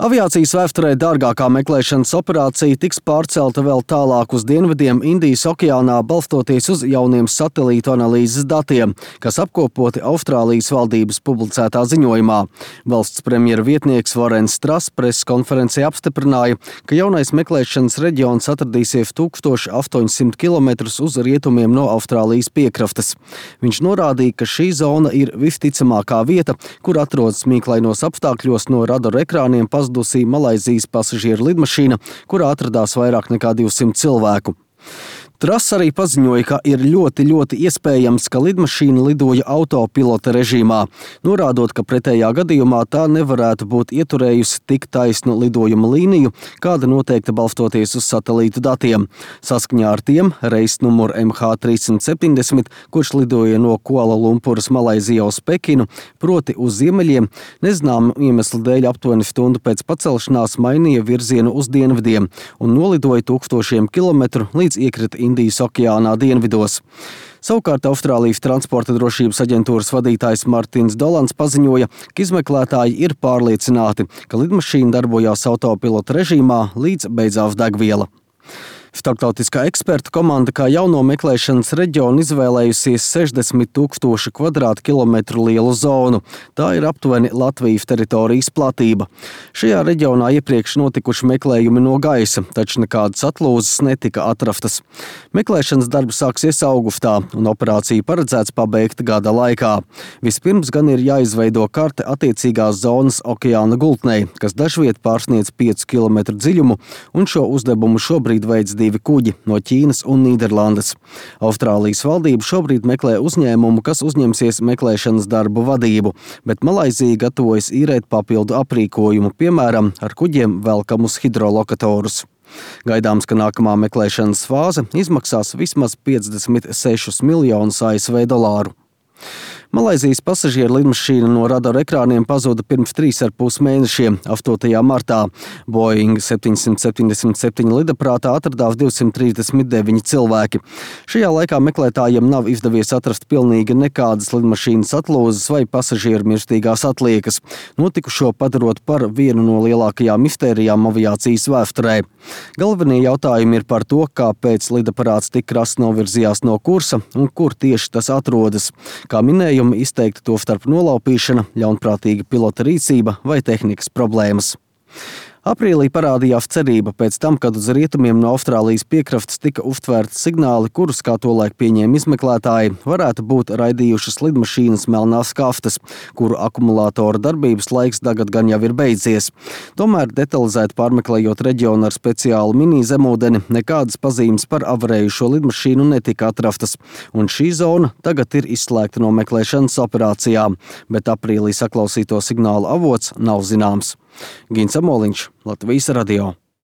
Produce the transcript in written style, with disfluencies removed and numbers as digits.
Aviācijas vēsturē dārgākā meklēšanas operācija tiks pārcelta vēl tālāk uz dienvidiem Indijas okeānā, balstoties uz jauniem satelītu analīzes datiem, kas apkopoti Austrālijas valdības publicētā ziņojumā. Valsts premjera vietnieks Vorens Strass preses konferencē apstiprināja, ka jaunais meklēšanas reģions atradīsies 1800 km uz rietumiem no Austrālijas piekrastes. Viņš norādīja, ka šī zona ir visticamākā vieta, kur atrodas mīklainos apstākļos no radaru ekrāniem pazudusī Malaizijas pasažieru lidmašīna, kurā atradās vairāk nekā 200 cilvēku. Strass arī paziņoja, ka ir ļoti iespējams, ka lidmašīna lidoja autopilota režīmā, norādot, ka pretējā gadījumā tā nevarētu būt ieturējusi tik taisnu lidojuma līniju, kāda noteikta balstoties uz satelītu datiem. Saskaņā ar tiem reiss numur MH370, kurš lidoja no Kuala Lumpuras Malaizijā uz Pekinu, proti uz ziemeļiem, nezināmu iemeslu dēļ aptuveni stundu pēc pacelšanās mainīja virzienu uz dienvidiem un nolidoja 1000 kilometru līdz iekrita Indijas okeānā dienvidos. Savukārt Austrālijas transporta drošības aģentūras vadītājs Martins Dolans paziņoja, ka izmeklētāji ir pārliecināti, ka lidmašīna darbojās autopilota režīmā līdz beidzās degviela. Starptautiskā ekspertu komanda kā jauno meklēšanas reģionu izvēlējusies 60 000 kvadrātkilometru lielu zonu. Tā ir aptuveni Latvijas teritorijas platība. Šajā reģionā iepriekš notikuši meklējumi no gaisa, taču nekādas atlūzas netika atrastas. Meklēšanas darbi sāksies augustā, un operāciju paredzēts pabeigt gada laikā. Vispirms gan ir jāizveido karte attiecīgās zonas okeāna gultnei, kas dažviet pārsniedz 5 km dziļumu, un šo uzdevumu šobrīd veids 2 kuģi no Ķīnas un Nīderlandes. Austrālijas valdība šobrīd meklē uzņēmumu, kas uzņemsies meklēšanas darbu vadību, bet Malaizija gatavojas īrēt papildu aprīkojumu, piemēram, ar kuģiem velkamus hidrolokatorus. Gaidāms, ka nākamā meklēšanas fāze izmaksās vismaz 56 miljonus ASV dolāru. Malaizijas pasažieru lidmašīna no radaru ekrāniem pazuda pirms 3,5 mēnešiem, 8. martā. Boeing 777 lidaprātā atradās 239 cilvēki. Šajā laikā meklētājiem nav izdevies atrast pilnīgi nekādas lidmašīnas atlūzas vai pasažieru mirstīgās atliekas, notikušo padarot par vienu no lielākajām mistērijām aviācijas vēsturē. Galvenie jautājumi ir par to, kāpēc lidaparāts tik krasi novirzījās no kursa un kur tieši tas atrodas. Kā minēju, izteikti to starp nolaupīšana, ļaunprātīga pilota rīcība vai tehnikas problēmas. Aprīlī parādījās cerība pēc tam, kad uz rietumiem no Austrālijas piekrastes tika uztvērti signāli, kurus, kā tolaik pieņēma izmeklētāji, varētu būt raidījušas lidmašīnas melnās kaftas, kuru akumulātora darbības laiks tagad gan jau ir beidzies. Tomēr detalizēti pārmeklējot reģionu ar speciālu mini zemūdeni, nekādas pazīmes par avarējušo lidmašīnu netika atrastas, un šī zona tagad ir izslēgta no meklēšanas operācijām, bet aprīlī saklausīto signālu avots nav zināms. Gins Amoliņš, Latvijas radio.